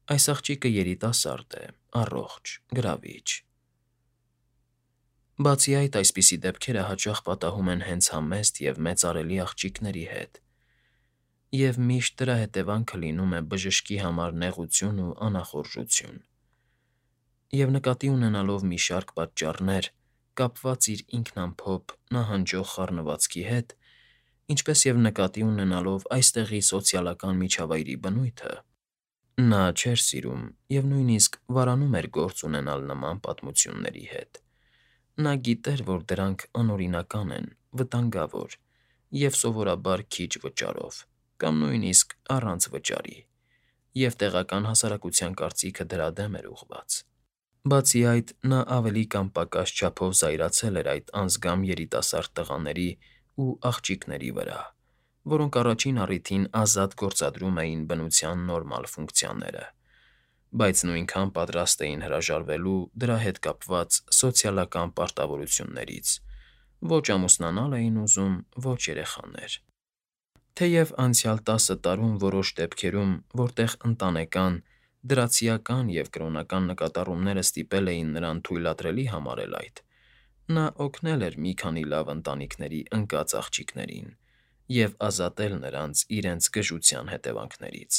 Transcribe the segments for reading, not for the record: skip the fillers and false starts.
Այս աղջիկը երիտասարդ է, առողջ, գրավիչ։ Բացի այդ, այսպիսի դեպքերը հաճախ պատահում են հենց համեստ և մեծարելի աղջիկների հետ, և միշտ դրա հետևանքը լինում է բժշկի համար նեղություն ու անախորժություն։ Եվ նկատի ունենալով մի շարք պատճառներ՝ կապված իր ինքնամփոփ, նահանջող խառնվածքի հետ, ինչպես և նկատի ունենալով այստեղի սոցիալական միջավայրի բնույթը, նա չէր սիրում և նույնիսկ վարանում էր գործ ունենալ նման պատմությունների հետ։ Նա գիտեր, որ դրանք անօրինական են, վտանգավոր և սովորաբար քիչ վճարով, կամ նույնիսկ առանց վճարի, և տեղական հասարակության կարծիքը դրա դեմ էր ուղղված։ Բացի այդ, նա ավելի կամ պակաս չափով զայրացել էր այդ անձգամ երիտասարդ տղաների ու աղջիկների վրա, որոնք առաջին առիթին ազատ գործադրում էին բնության նորմալ ֆունկցիաները, բայց նույնքան պատրաստ էին հրաժարվելու դրա հետ կապված սոցիալական պարտավորություններից, ոչ ամուսնանալ էին ուզում, ոչ երեխաներ։ Թեև անցյալ 10 տարում որոշ դեպքերում, որտեղ ընտանեկան, դրացիական և կրոնական նկատառումները ստիպել էին նրան թույլատրելի համարել այդ, նա օգնել էր մի քանի լավ ընտանիքների ընկած աղջիկներին և ազատել նրանց իրենց գժության հետևանքներից,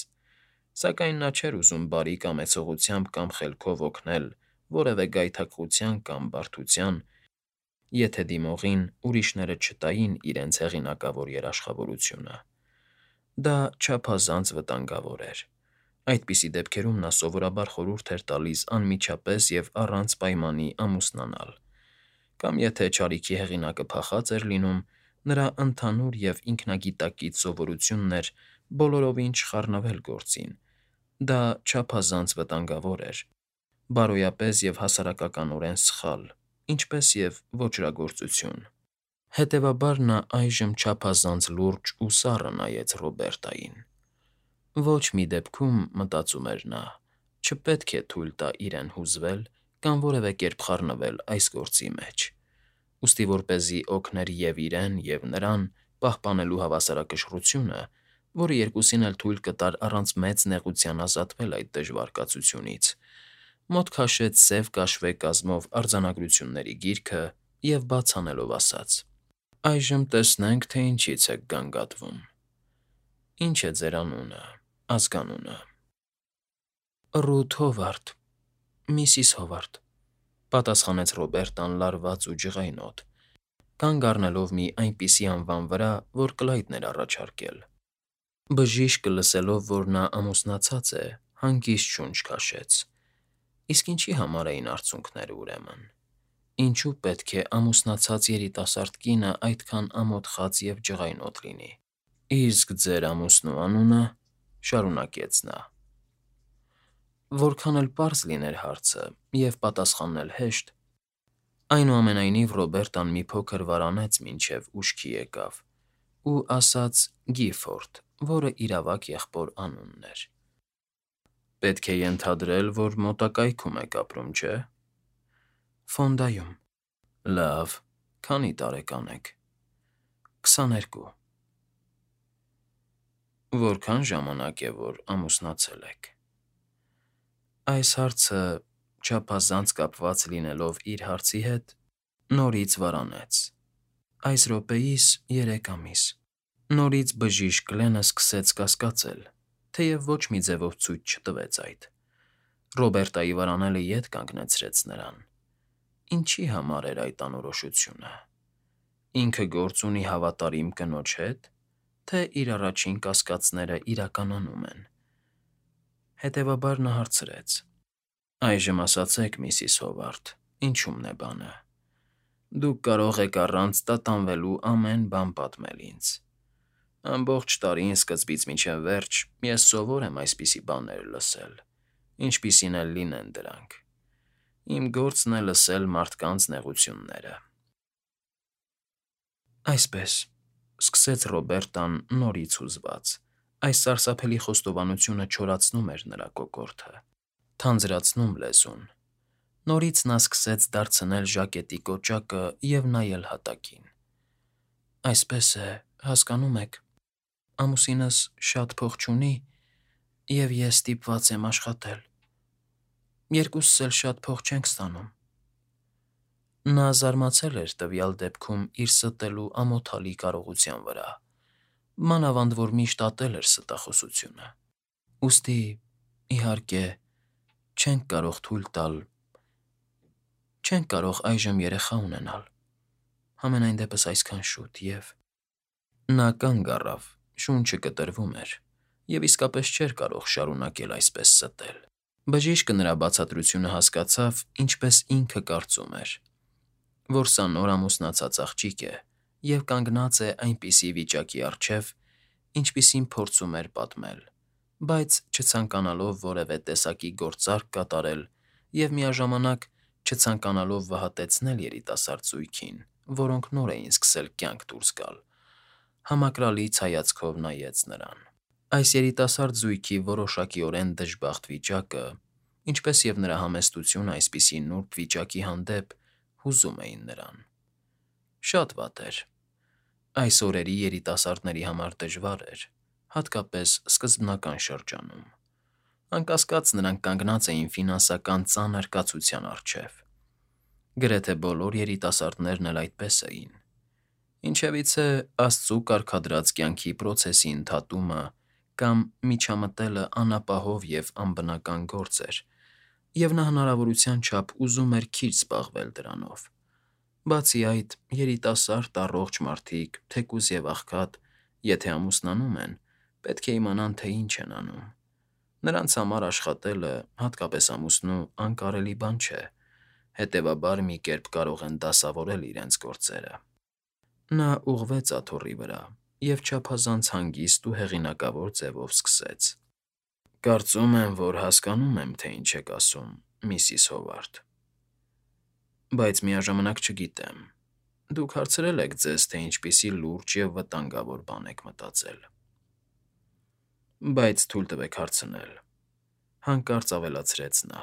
սակայն նա չէր ուզում բարի կամեցողությամբ կամ խելքով օգնել որևէ գայթակղության կամ բարդության, եթե դիմողին ուրիշները չտային իրենց հեղինակավոր երաշխավորությունը։ Դա չափազանց վտանգավոր էր։ Այդպիսի դեպքերում նա սովորաբար խորհուրդ էր տալիս անմիջապես և առանց պայմանի ամուսնանալ, կամ եթե չարիքի հեղինակը փախած էր լինում, նրա ընդհանուր և ինքնագիտակից սովորությունն էր բոլորովին չխառնվել գործին։ Դա չափազանց վտանգավոր էր, բարոյապես և հասարակականորեն սխալ, ինչպես և ոճրագործություն։ Հետևաբար նա այժմ չափազանց լուրջ ու սառը նայեց Ռոբերտային։ Ոչ մի դեպքում, մտածում էր նա, չպետք է թույլ տա իրեն հուզվել կամ որևէ կերպ խառնվել այս գործի մեջ, ուստի որպեսզի օգներ և՛ իրեն, և՛ նրան պահպանելու հավասարակշռությունը, որը երկուսին էլ թույլ կտար առանց մեծ նեղության ազատվել այդ դժվար կացությունից, մոտ քաշեց սև կաշվե կազմով արձանագրությունների գիրքը և բաց անելով ասաց. «Այժմ տեսնենք, թե ինչից եք գանգատվում։ Ինչ է ձեր անունը, ազգանունը»։ «Ռութ Հովարդ, միսիս Հովարդ», պատասխանեց Ռոբերտան լարված ու ջղայնոտ, կանգ առնելով մի այնպիսի անվան վրա, որ Կլայդն էր առաջարկել։ Բժիշկը, լսելով, որ նա ամուսնացած է, հանգիստ շունչ քաշեց։ Իսկ ինչի համար էին արցունքները, ուրեմն։ Ինչու պետք է ամուսնացած երիտասարդ կինը այդքան ամոթխած և ջղայնոտ լինի։ «Իսկ ձեր ամուսնու անունը,֊ շարունակեց նա։ Որքան էլ պարզ լիներ հարցը և պատասխանն էլ հեշտ, այնուամենայնիվ Ռոբերտան մի փոքր վարանեց, մինչև ուշքի եկավ, ու ասաց Գիֆորդ, որը իրավակ եղբոր անունն էր։ «Պետք է ենթադրել, որ մոտակայքում եք ապրում, չէ՞»։ «Ֆոնդայում»։ «Լավ, քանի՞ տարեկան եք»։ «22»։ «Որքան ժամանակ է, որ ամուսնացել եք»։ Այս հարցը, չափազանց կապված լինելով իր հարցի հետ, նորից վարանեց։ «Այս րոպեիս 3 ամիս»։ Նորից բժիշկ Գլենը սկսեց կասկածել, թեև ոչ մի ձևով ցույց չտվեց այդ։ Ռոբերտայի վարանելը ետ կանգնեցրեց նրան։ Ինչի համար էր այդ անորոշությունը։ Ինքը գործ ունի հավատարիմ կնոջ հետ, թե իր առաջին կասկածները իրականանում են։ Հետևաբար նա հարցրեց. «Այժմ ասացեք, միսիս Հովարդ, ինչու՞մն է բանը։ Դուք կարող եք առանց տատանվելու ամեն բան պատմել ինձ։ Ամբողջ տարին սկզբից մինչև վերջ ես սովոր եմ այսպիսի բաներ լսել, ինչպիսին էլ լինեն դրանք։ Իմ գործն է լսել մարդկանց նեղությունները»։ «Այսպես,֊ սկսեց Ռոբերտան նորից հուզված. այս սարսափելի խոստովանությունը չորացնում էր նրա կոկորդը, թանձրացնում լեզուն։ Նորից նա սկսեց դարձնել ժակետի կոճակը և նայել հատակին։ «Այսպես է, հասկանում եք, ամուսինս շատ փող չունի, Եվ ես ստիպված եմ աշխատել։ Երկուսս էլ շատ փող չենք ստանում։ Նա զարմացել էր տվյալ դեպքում իր ստելու ամոթալի կարողության վրա, մանավանդ որ միշտ ատել էր ստախոսությունը։ Ուստի, իհարկե, չենք կարող թույլ տալ, չենք կարող այժմ երեխա ունենալ, համենայն դեպս այսքան շուտ և… Նա կանգ առավ, շունչը կտրվում էր, և իսկապես չէր կարող շարունակել այսպես ստել։ Բժիշկը նրա բացատրությունը հասկացավ, ինչպես ինքը կարծում էր, որ սա նոր ամուսնացած աղջիկ է և կանգնած է այնպիսի վիճակի առջև, ինչպիսին փորձում էր պատմել, բայց չցանկանալով որևէ տեսակի գործարք կատարել և միաժամանակ չցանկանալով վհատեցնել երիտասարդ զույգին, որոնք նոր էին սկսել կյանք դուրս գալ, համակրալից հայացքով նայեց նրան։ Այս երիտասարդ զույգի որոշակիորեն դժբախտ վիճակը, ինչպես և նրա համեստությունը այսպիսի նուրբ վիճակի հանդեպ, հուզում էին նրան։ Շատ վատ էր։ Այս օրերի երիտասարդների համար դժվար էր, հատկապես սկզբնական շրջանում։ Անկասկած նրանք կանգնած էին ֆինանսական ծանր կացության առջև։ Գրեթե բոլոր երիտասարդներն էլ այդպես էին։ Ինչևիցե Աստծու կարգադրած կյանքի պրոցեսի ընդհատումը կամ միջամտելը անապահով և անբնական գործ էր, և նա հնարավորության չափ ուզում էր քիչ զբաղվել դրանով։ Բացի այդ, երիտասարդ առողջ մարդիկ, թեկուզ և աղքատ, եթե ամուսնանում են, պետք է իմանան, թե ինչ են անում։ Նրանց համար աշխատելը, հատկապես ամուսնու, անկարելի բան չէ, հետևաբար մի կերպ կարող են դասավորել իրենց գործերը։ Նա ուղղվեց աթոռի վրա և չափազանց հանգիստ ու հեղինակավոր ձևով սկսեց. «Կարծում եմ, որ հասկանում եմ, թե ինչ եք ասում, միսիս Հովարդ, բայց միաժամանակ չգիտեմ։ Դուք հարցրել եք ձեզ, թե ինչպիսի լուրջ և վտանգավոր բան եք մտածել։ Բայց թույլ տվեք հարցնել,֊ հանկարծ ավելացրեց նա.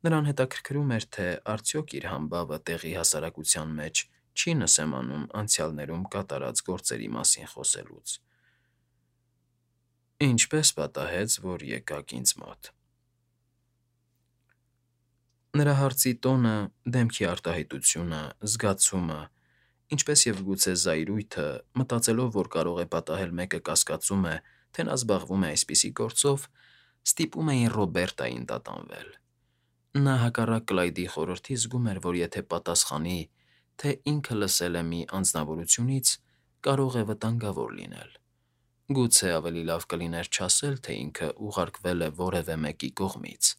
նրան հետաքրքրում էր, թե արդյոք իր համբավը տեղի հասարակության մեջ չի նսեմանում անցյալներում կատարած գործերի մասին խոսելուց։ Ինչպե՞ս պատահեց, որ եկաք ինձ մոտ»։ Նրա հարցի տոնը, դեմքի արտահայտությունը, զգացումը, ինչպես և գուցե զայրույթը, մտածելով, որ կարող է պատահել մեկը կասկածում է, թե նա զբաղվում է այսպիսի գործով, ստիպում էին Ռոբերտային տատանվել։ Նա հակառակ Կլայդի խորհրդի զգում էր, որ եթե պատասխանի, թե ինքը լսել է մի անձնավորությունից, կարող է վտանգավոր լինել։ Գուցե ավելի լավ կլիներ չասել, թե ինքը ուղարկվել է որևէ մեկի կողմից։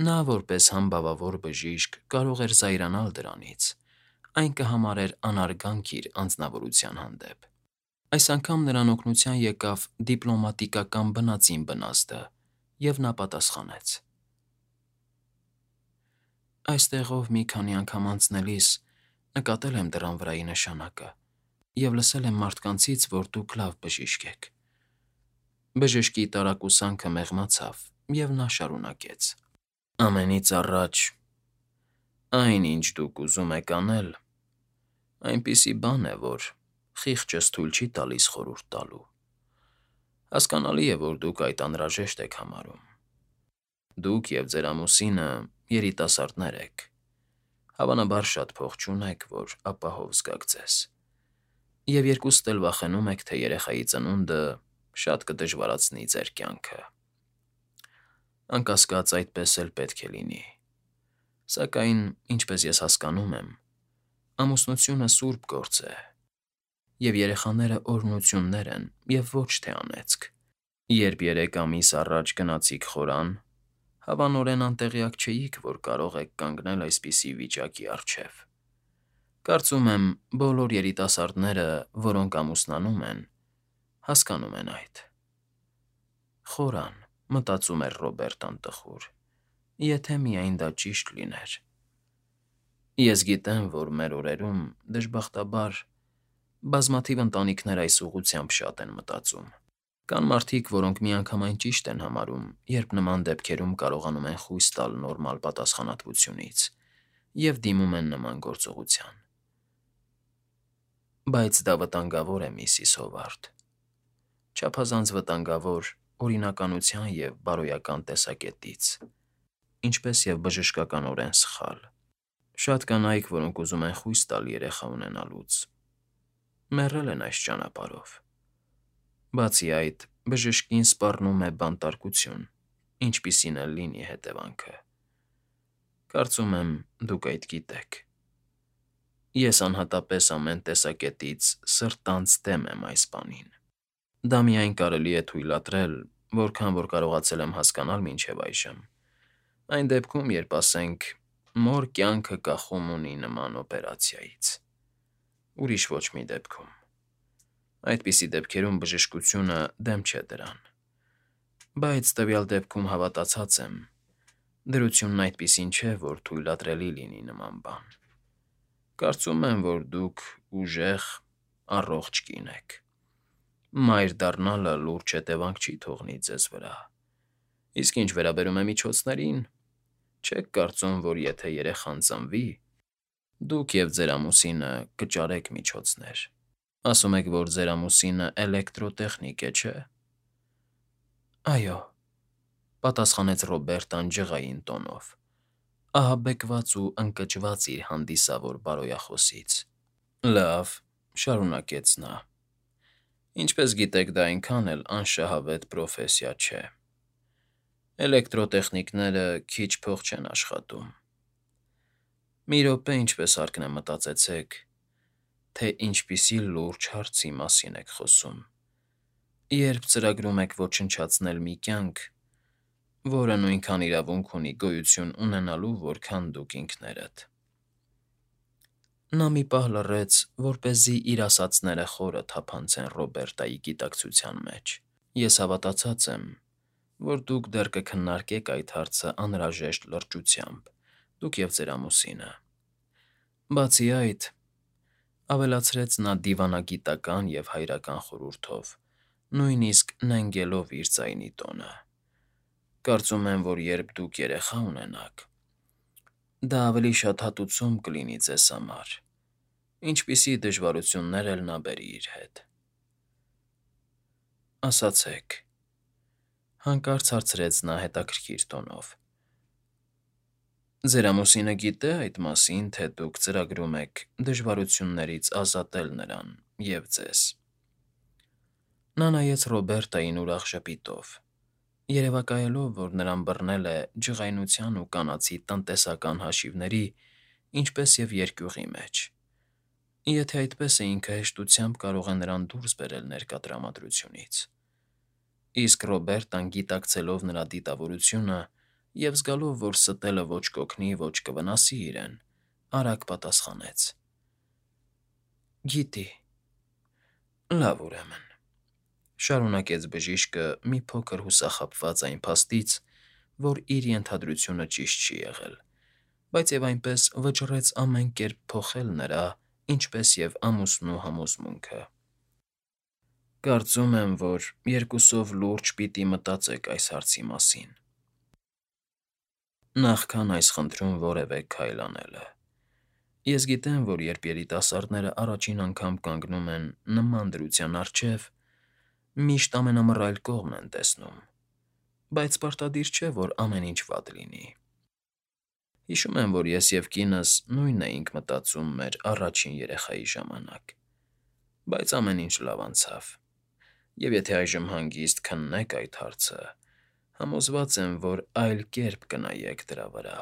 Նա, որպես համբավավոր բժիշկ, կարող էր զայրանալ դրանից, այն կհամարեր անարգանք իր անձնավորության հանդեպ։ Այս անգամ նրան օգնության եկավ դիպլոմատիկական բնածին բնազդը, և նա պատասխանեց. «Այստեղով մի քանի անգամ անցնելիս նկատել եմ դռան վրայի նշանակը և լսել եմ մարդկանցից, որ դուք լավ բժիշկ եք»։ Բժշկի տարակուսանքը մեղմացավ, և նա շարունակեց. «Ամենից առաջ, այն, ինչ դուք ուզում եք անել, այնպիսի բան է, որ խիղճս թույլ չի տալիս խորհուրդ տալու։ Հասկանալի է, որ դուք այդ անհրաժեշտ եք համարում։ Դուք և ձեր ամուսինը երիտասարդներ եք, հավանաբար շատ փող չունեք, որ ապահով զգաք ձեզ, և երկուստ էլ վախենում եք, թե երեխայի ծնունդը շատ կդժվարացնի ձեր կյանքը։ Անկասկած, այդպես էլ պետք է լինի։ Սակայն, ինչպես ես հասկանում եմ, ամուսնությունը սուրբ գործ է, և երեխաները օրհնություններ են և ոչ թե անեծք։ Երբ 3 ամիս առաջ գնացիք խորան, հավանորեն անտեղյակ չէիք, որ կարող եք կանգնել այսպիսի վիճակի առջև։ Կարծում եմ, բոլոր երիտասարդները, որոնք ամուսնանում են, հասկանում են այդ։ Խորան, մտածում էր Ռոբերտան տխուր, եթե միայն դա ճիշտ լիներ։ Ես գիտեմ, որ մեր օրերում, դժբախտաբար, բազմաթիվ ընտանիքներ այս ուղղությամբ շատ են մտածում։ Կան մարդիկ, որոնք միանգամայն ճիշտ են համարում, երբ նման դեպքերում կարողանում են խույս տալ նորմալ պատասխանատվությունից և դիմում են նման գործողության։ Բայց դա վտանգավոր է, միսիս Հովարդ, չափազանց վտանգավոր օրինականության և բարոյական տեսակետից, ինչպես և բժշկականորեն սխալ։ Շատ կանայք, որոնք ուզում են խույս տալ երեխա ունենալուց, մեռել են այս ճանապարհով։ Բացի այդ, բժշկին սպառնում է բանտարկություն, ինչպիսին էլ լինի հետևանքը։ Կարծում եմ, դուք այդ գիտեք։ Ես անհատապես ամեն տեսակետից սրտանց դեմ եմ այս բանին։ Դա միայն կարելի է թույլատրել, որքան որ կարողացել եմ հասկանալ մինչև այժմ։ Այն դեպքում, երբ, ասենք, մոր կյանքը կախում ունի նման օպերացիայից։ Ուրիշ ոչ մի դեպքում։ Այդպիսի դեպքերում բժշկությունը դեմ չէ դրան։ Բայց տվյալ դեպքում հավատացած եմ, դրությունն այդպիսին չէ, որ թույլատրելի լինի նման բան։ Կարծում եմ, որ դուք ուժեղ, առողջ կին եք։ Մայր դառնալը լուրջ հետևանք չի թողնի ձեզ վրա։ Իսկ ինչ վերաբերում է միջոցներին, չեք կարծում, որ եթե երեխան ծնվի, դուք և ձեր ամուսինը կճարեք միջոցներ։ Ասում եք, որ ձեր ամուսինը էլեկտրոտեխնիկ է, չէ՞։ Այո, պատասխանեց Ռոբերտան ջղային տոնով, ահաբեկված ու ընկճված իր հանդիսավոր բարոյախոսից։ Լավ, շարունակեց նա. ինչպես գիտեք, դա այնքան էլ անշահավետ պրոֆեսիա չէ։ Էլեկտրոտեխնիկները քիչ փող չեն աշխատում։ Մի րոպե, ինչպես հարկն է, մտածեցեք, թե ինչպիսի լուրջ հարցի մասին եք խոսում, երբ ծրագրում եք ոչնչացնել մի կյանք, որը նույնքան իրավունք ունի գոյություն ունենալու, որքան դուք ինքներդ։ Նա մի պահ լռեց, որպեսզի իր ասածները խորը թափանցեն Ռոբերտայի գիտակցության մեջ։ Ես հավատացած եմ, որ դուք դեռ կքննարկեք այդ հարցը անհրաժեշտ լրջությամբ, դուք և ձեր ամուսինը։ Բացի այդ, ավելացրեց նա դիվանագիտական և հայրական խորհուրդով, նույնիսկ նենգելով իր ձայնի տոնը, կարծում եմ, որ երբ դուք երեխա ունենաք, դա ավելի շատ հատուցում կլինի ձեզ համար, ինչպիսի դժվարություններ էլ նա բերի իր հետ։ Ասացեք, հանկարծ հարցրեց նա հետաքրքիր տոնով. ձեր ամուսինը գիտե այդ մասին, թե դուք ծրագրում եք դժվարություններից ազատել նրան և ձեզ։ Նա նայեց Ռոբերտային ուրախ ժպիտով, երևակայելով, որ նրան բռնել է ջղայնության ու կանացի տնտեսական հաշիվների, ինչպես և երկյուղի մեջ։ Եթե այդպես է, ինքը հեշտությամբ կարող է նրան դուրս բերել ներկա տրամադրությունից։ Իսկ Ռոբերտան, գիտակցելով նրա դիտավորությունը և զգալով, որ ստելը ոչ կօգնի, ոչ կվնասի իրեն, արագ պատասխանեց. Գիտի։ Լավ, ուրեմն, շարունակեց բժիշկը մի փոքր հուսախաբված այն փաստից, որ իր ենթադրությունը ճիշտ չի եղել, բայց և այնպես վճռեց ամեն կերպ փոխել նրա, ինչպես և ամուսնու համոզմունքը։ Կարծում եմ, որ երկուսով լուրջ պիտի մտածեք այս հարցի մասին, նախքան այս խնդրում որևէ քայլ անելը։ Ես գիտեմ, որ երբ երիտասարդները առաջին անգամ կանգնում են նման դրության առջև, միշտ ամենամռայլ կողմն են տեսնում, բայց պարտադիր չէ, որ ամեն ինչ վատ լինի։ Հիշում եմ, որ ես և կինս նույնն էինք մտածում մեր առաջին երեխայի ժամանակ, բայց ամեն ինչ լավ անցավ, և եթե այժմ հանգիստ քննեք այդ հարցը, համոզված եմ, որ այլ կերպ կնայեք դրա վրա։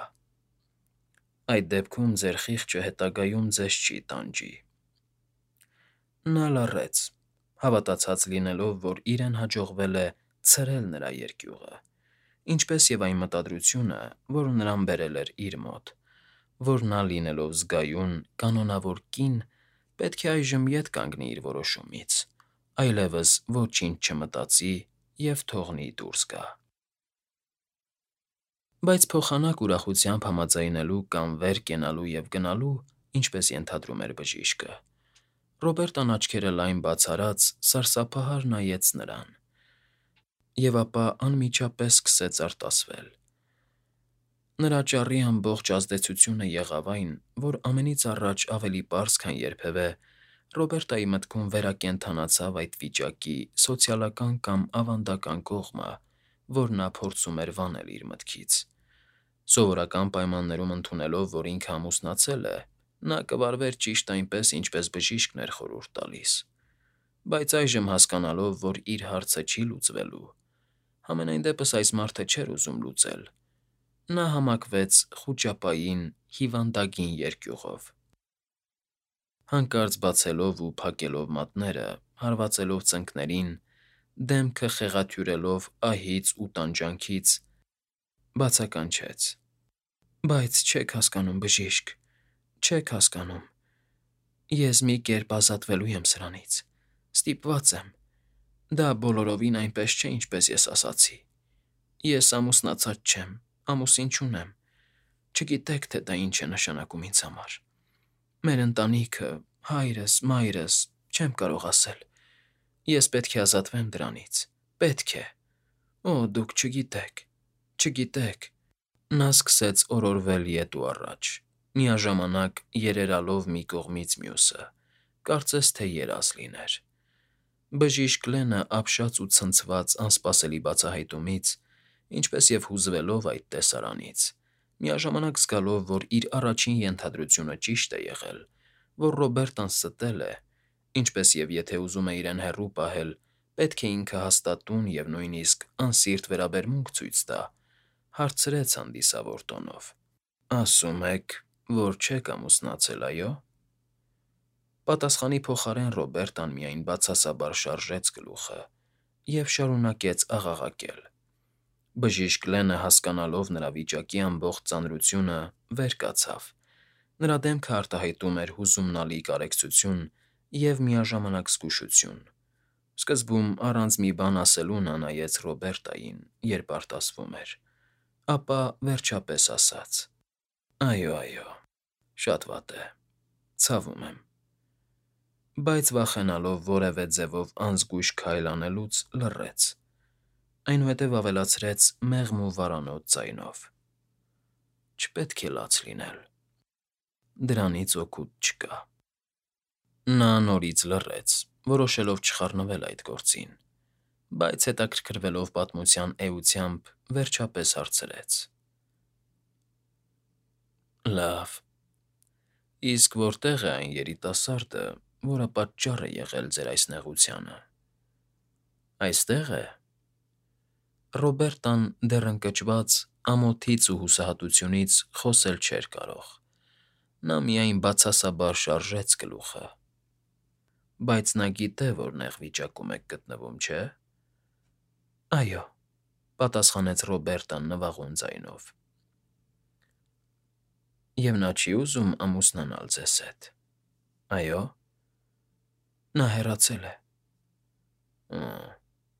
Այդ դեպքում ձեր խիղճը հետագայում ձեզ չի տանջի։ Նա լռեց, հավատացած լինելով, որ իրեն հաջողվել է ցրել նրա երկյուղը, ինչպես և այն մտադրությունը, որը նրան բերել էր իր մոտ, որ նա լինելով զգայուն, կանոնավոր կին, պետք է այժմ ետ կանգնի իր որոշումից, այլևս ոչինչ չմտածի և թողնի դուրս գա։ Բայց փոխանակ ուրախությամբ համաձայնելու կամ վեր կենալու և գնալու, ինչպես ենթադրում էր բժիշկը, Ռոբերտան աչքերը լայն բաց արած սարսափահար նայեց նրան, և ապա անմիջապես սկսեց արտասվել։ Նրա ճառի ամբողջ ազդեցությունը եղավ այն, որ ամենից առաջ ավելի պարզ, քան երբևէ, Ռոբերտայի մտքում վերակենդանացավ այդ վիճակի սոցիալական կամ ավանդական կողմը, որ նա փորձում էր վանել իր մտքից։ Սովորական պայմաններում ընդունելով, որ ինքը ամուսնացել է, նա կվարվեր ճիշտ այնպես, ինչպես բժիշկն էր խորհուրդ տալիս։ Բայց այժմ հասկանալով, որ իր հարցը չի լուծվելու, համենայն դեպս այս մարդը չէր ուզում լուծել, նա համակվեց խուճապային հիվանդագին երկյուղով։ Հանկարծ բացելով ու փակելով մատները, հարվածելով ծնկներին, դեմքը խեղաթյուրելով ահից ու տանջանքից, բացականչեց. «Բայց չեք հասկանում, բժիշկ, չեք հասկանում։ Ես մի կերպ ազատվելու եմ սրանից։ Ստիպված եմ։ Դա բոլորովին այնպես չէ, ինչպես ես ասացի։ Ես ամուսնացած չեմ, ամուսին չունեմ։ Չգիտեք, թե դա ինչ է նշանակում ինձ համար։ Մեր ընտանիքը, հայրս, մայրս, չեմ կարող ասել։ Ես պետք է ազատվեմ դրանից։ Պետք է։ Օ, դուք չգիտեք, չգիտեք»։ Նա սկսեց օրորվել ետ ու առաջ, միաժամանակ երերալով մի կողմից մյուսը, կարծես թե երազ լիներ։ Բժիշկ Լենը ապշած ու ցնցված անսպասելի բացահայտումից, ինչպես և հուզվելով այդ տեսարանից, միաժամանակ զգալով, որ իր առաջին ենթադրությունը ճիշտ է եղել, որ Ռոբերտան ստել է, ինչպես և եթե ուզում է իրեն հեռու պահել, պետք է ինքը հաստատուն և նույնիսկ անսիրտ վերաբերմունք ցույց տա, հարցրեց հանդիսավոր տոնով. «Ասում եք, որ չեք ամուսնացել, այո»։ Պատասխանի փոխարեն Ռոբերտան միայն բացասաբար շարժեց գլուխը և շարունակեց աղաղակել։ Բժիշկ Լենը, հասկանալով նրա վիճակի ամբողջ ծանրությունը, վեր կացավ։ Նրա դեմքը արտահայտում էր հուզումնալի կարեկցություն և միաժամանակ զգուշություն։ Սկզբում առանց մի բան ասելու նա նայեց Ռոբերտային, երբ արտասվում էր, ապա վերջապես ասաց. «Այո, այո, շատ վատ է, ցավում եմ»։ Բայց վախենալով որևէ ձևով անզգույշ քայլ անելուց, լռեց, այնուհետև ավելացրեց մեղմ ու վարանոց ձայնով. «Չպետք է լաց լինել։ Դրանից օգուտ չկա»։ Նա նորից լռեց, որոշելով չխառնվել այդ գործին, բայց հետաքրքրվելով պատմության էությամբ, վերջապես հարցրեց. «Լավ, իսկ որտե՞ղ է այն երիտասարդը, որը պատճառ է եղել ձեր այս նեղությանը։ Այստե՞ղ է»։ Ռոբերտան դեռ ընկճված ամոթից ու հուսահատությունից խոսել չէր կարող։ Նա միայն բացասաբար շարժեց գլուխը։ «Բայց նա գիտե, որ նեղ վիճակում եք գտնվում, չէ՞»։ «Այո», պատասխանեց Ռոբերտան նվաղուն ձայնով։ «Եվ նա չի ուզում ամուսնանալ ձեզ հետ, այո՞։ Նա հեռացել է»։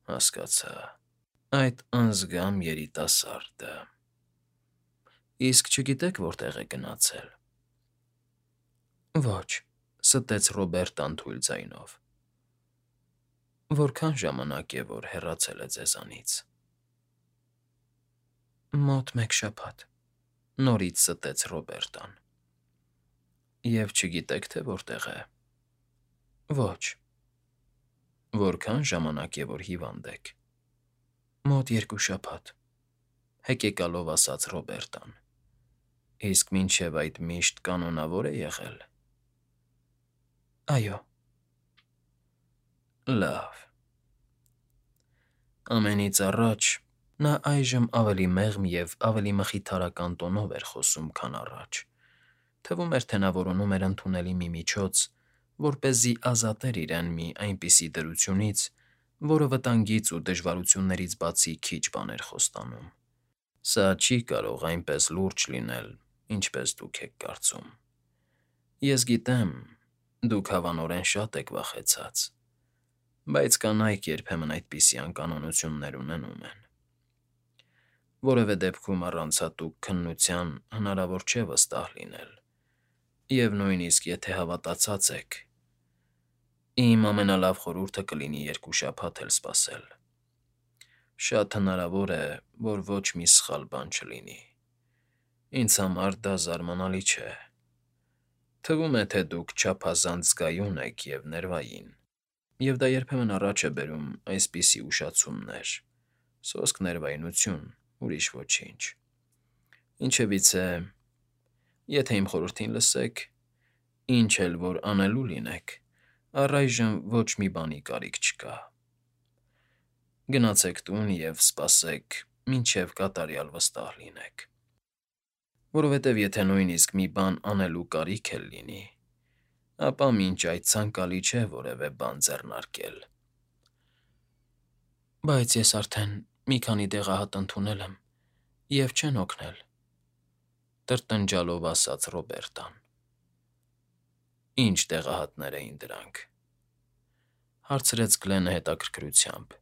Հասկացա, այդ անձգամ երիտասարդը։ Իսկ չգիտեք որտեղ է գնացել։ Ոչ, ստեց Ռոբերտան թույլ ձայնով։ Որքան ժամանակ է, որ հեռացել է ձեզանից։ Մոտ մեկ շաբաթ, նորից ստեց Ռոբերտան։ Եվ չգիտեք, թե որտեղ է։ Ոչ։ Որքան ժամանակ է, որ հիվանդ եք։ Մոտ 2 շաբաթ, հեկեկալով ասաց Ռոբերտան։ Իսկ մինչև այդ միշտ կանոնավոր է եղել։ Այո։ Լավ։ Ամենից առաջ նա այժմ ավելի մեղմ և ավելի մխիթարական տոնով էր խոսում, քան առաջ։ Թվում էր, թե նա որոնում էր ընդունելի մի միջոց, որպեսզի ազատեր իրեն մի այնպիսի դրությունից, որը վտանգից ու դժվարություններից բացի քիչ բան էր խոստանում։ Սա չի կարող այնպես լուրջ լինել, ինչպես դուք եք կարծում։ Ես գիտեմ, դուք հավանորեն շատ եք վախեցած, բայց կանայք երբեմն այդպիսի անկանոնություններ ունենում են։ Որևէ դեպքում առանց հատուկ քննության հնարավոր չէ վստահ լինել, և նույնիսկ եթե հավատացած եք, իմ ամենալավ խորհուրդը կլինի 2 շաբաթ էլ սպասել։ Շատ հնարավոր է, որ ոչ մի սխալ բան չլինի։ Ինձ համար դա զարմանալի չէ։ Թվում է, թե դուք չափազանց զգայուն եք և ներվային, և դա երբեմն առաջ է բերում այսպիսի ուշացումներ. սոսկ ներվայնություն, ուրիշ ոչինչ։ Ինչևից է, եթե իմ խորհրդին լսեք, ինչ էլ որ անելու լինեք, առայժմ ոչ մի բանի կարիք չկա։ Գնացեք տուն և սպասեք, մինչև կատարյալ վստահ լինեք։ Որովհետև եթե նույնիսկ մի բան անելու կարիք էլ լինի, ապա մինչ այդ ցանկալի չէ որևէ բան ձեռնարկել։ Բայց ես արդեն մի քանի դեղահատ ընդունել եմ, և չեն օգնել,֊ տրտնջալով ասաց Ռոբերտան։ Ինչ դեղահատներ էին դրանք,֊ հարցրեց Գլենը հետաքրքրությամբ,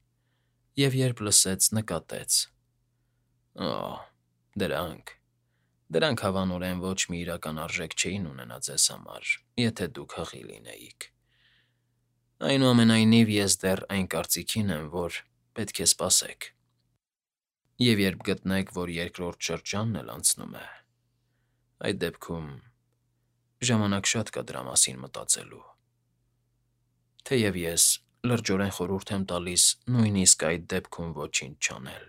և երբ լսեց, նկատեց. Օ՜, դրանք հավանորեն ոչ մի իրական արժեք չէին ունենա ձեզ համար, եթե դուք հղի լինեիք։ Այնուամենայնիվ ես դեռ այն կարծիքին եմ, որ պետք է սպասեք։ Եվ երբ գտնեք, որ երկրորդ շրջանն էլ անցնում է, այդ դեպքում ժամանակ շատ կա դրա մասին մտածելու։ Թեև ես լրջորեն խորհուրդ եմ տալիս նույնիսկ այդ դեպքում ոչինչ չանել,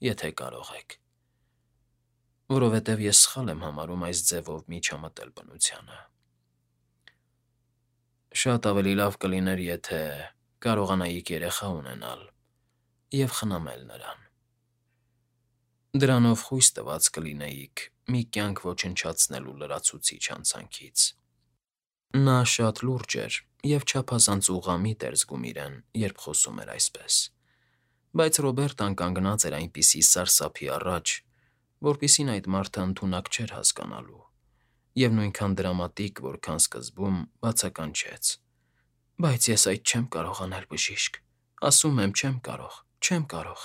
եթե կարող եք, որովհետև ես սխալ եմ համարում այս ձևով միջամտել բնությանը։ Շատ ավելի լավ կլիներ, եթե կարողանայիք երեխա ունենալ և խնամել նրան։ Դրանով խույս տված կլինեիք մի կյանք ոչնչացնելու լրացուցիչ հանցանքից։ Նա շատ լուրջ էր և չափազանց ուղղամիտ էր զգում իրեն, երբ խոսում էր այսպես, բայց Ռոբերտան կանգնած էր այնպիսի սարսափի առաջ, որպիսին այդ մարդը ընդունակ չէր հասկանալու, և նույնքան դրամատիկ, որքան սկզբում բացականչեց. Բայց ես այդ չեմ կարող անել, բժիշկ, ասում եմ, չեմ կարող,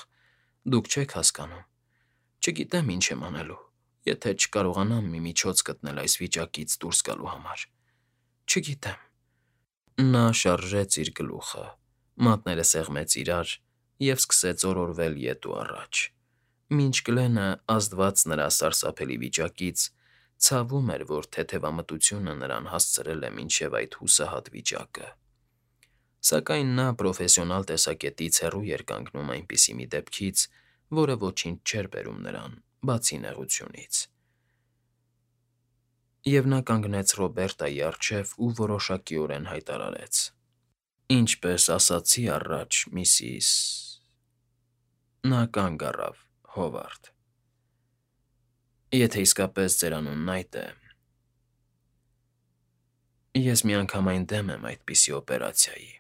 դուք չեք հասկանում, չգիտեմ ինչ եմ անելու, եթե չկարողանամ մի միջոց գտնել այս վիճակից դուրս գալու համար, չգիտեմ։ Նա շարժեց իր գլուխը, մատները սեղմեց իրար և սկսեց օրորվել ետ ու առաջ, մինչ Գլենը, ազդված նրա սարսափելի վիճակից, ցավում էր, որ թեթևամտությունը նրան հասցրել է մինչև այդ հուսահատ վիճակը։ Սակայն նա պրոֆեսիոնալ տեսակետից հեռու էր կանգնում այնպիսի մի դեպքից, որը ոչինչ չէր բերում նրան, բացի նեղությունից։ Եվ նա կանգնեց Ռոբերտայի առջև ու որոշակիորեն հայտարարեց. Ինչպես ասացի առաջ, միսիս… Նա կանգ առավ, Հովարդ։ Եթե իսկապես ձեր անունն այդ է… Ես միանգամայն դեմ եմ այդպիսի օպերացիայի,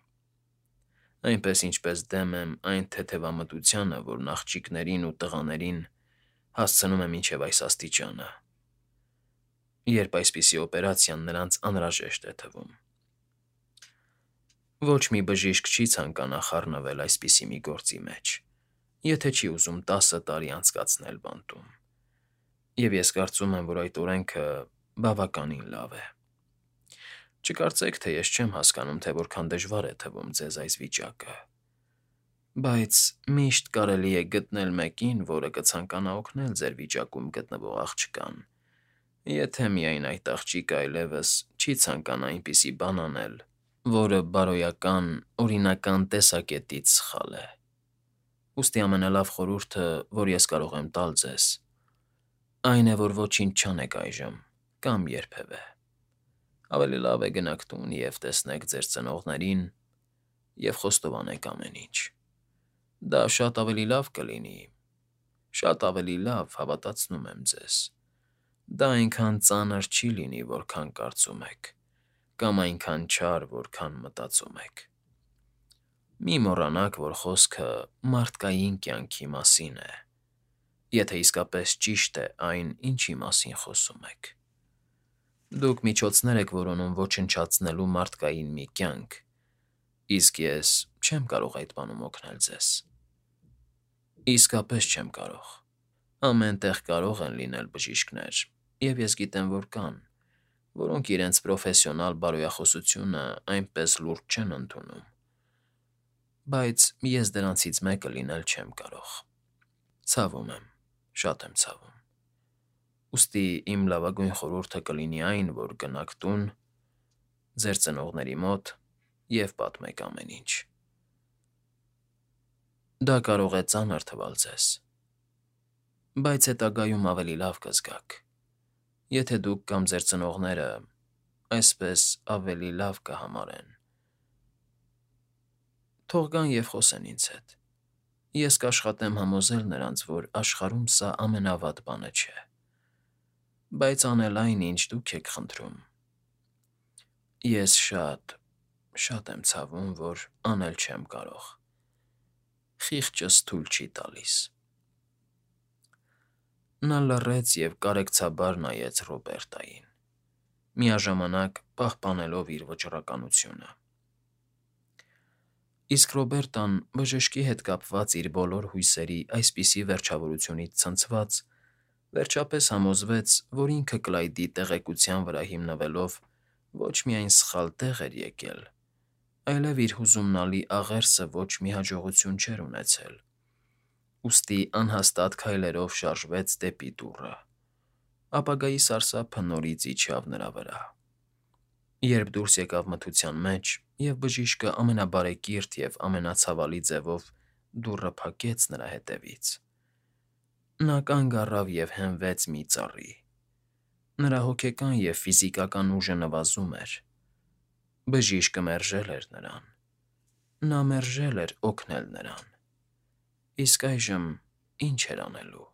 այնպես ինչպես դեմ եմ այն թեթևամտությանը, որն աղջիկներին ու տղաներին հասցնում է մինչև այս աստիճանը, երբ այսպիսի օպերացիան նրանց անհրաժեշտ է թվում։ Ոչ մի բժիշկ չի ցանկանա խառնվել այսպիսի մի գործի մեջ, եթե չի ուզում 10 տարի անցկացնել բանտում, և ես կարծում եմ, որ այդ օրենքը բավականին լավ է։ Չկարծեք, թե ես չեմ հասկանում, թե որքան դժվար է թվում ձեզ այս վիճակը, բայց միշտ կարելի է գտնել մեկին, որը կցանկանա օգնել ձեր վիճակում գտնվող աղջկան, եթե միայն այդ աղջիկը այլևս չի ցանկանա այնպիսի բան անել, որը բարոյական, օրինական տեսակետից սխալ է։ Ուստի ամենալավ խորհուրդը, որ ես կարող եմ տալ ձեզ, այն է, որ ոչինչ չանեք այժմ կամ երբևէ։ Ավելի լավ է գնաք տուն և տեսնեք ձեր ծնողներին և խոստովանեք ամեն ինչ։ Դա շատ ավելի լավ կլինի, շատ ավելի լավ, հավատացնում եմ ձեզ։ Դա այնքան ծանր չի լինի, որքան կարծում եք, կամ այնքան չար, որքան մտածում եք։ Մի մոռանաք, որ խոսքը մարդկային կյանքի մասին է, եթե իսկապես ճիշտ է այն, ինչի մասին խոսում եք։ Դուք միջոցներ եք որոնում ոչնչացնելու մարդկային մի կյանք, իսկ ես չեմ կարող այդ բանում օգնել ձեզ։ Իսկապես չեմ կարող։ Ամեն տեղ կարող են լինել բժիշկներ, և ես գիտեմ, որ կան, որոնք իրենց պրոֆեսիոնալ բարոյախոսությունը այնպես լուրջ չեն ընդունում, բայց ես դրանցից մեկը լինել չեմ կարող։ Ցավում եմ, շատ եմ ցավում։ Ուստի իմ լավագույն խորհուրդը կլինի այն, որ գնաք տուն ձեր ծնողների մոտ և պատմեք ամեն ինչ։ Դա կարող է ծանր թվալ ձեզ, բայց հետագայում ավելի լավ կզգաք, եթե դուք կամ ձեր ծնողները այսպես ավելի լավ կհամարեն։ Թող գան և խոսեն ինձ հետ։ Ես կաշխատեմ համոզել նրանց, որ աշխարհում սա ամենավատ բանը չէ, բայց անել այն, ինչ դուք եք խնդրում, ես շատ եմ ցավում, որ անել չեմ կարող։ Խիղճս թույլ չի տալիս։ Նա լռեց և կարեկցաբար նայեց Ռոբերտային, միաժամանակ պահպանելով իր վճռականությունը։ Իսկ Ռոբերտան, բժշկի հետ կապված իր բոլոր հույսերի այսպիսի վերջավորությունից ցնցված, վերջապես համոզվեց, որ ինքը Կլայդի տեղեկության վրա հիմնվելով ոչ միայն սխալ տեղ էր եկել, այլև իր հուզումնալի աղերսը ոչ մի հաջողություն չէր ունեցել, ուստի անհաստատ քայլերով շարժվեց դեպի դուռը։ Ապագայի սարսափը նորից իջավ նրա վրա, երբ դուրս եկավ մթության մեջ, և բժիշկը ամենաբարեկիրթ և ամենացավալի ձևով դուռը փակեց նրա հետևից։ Նա կանգ առավ և հենվեց մի ծառի։ Նրա հոգեկան և ֆիզիկական ուժը նվազում էր։ Բժիշկը մերժել էր նրան։ Նա մերժել էր օգնել նրան։ Իսկ այժմ ի՞նչ էր անելու։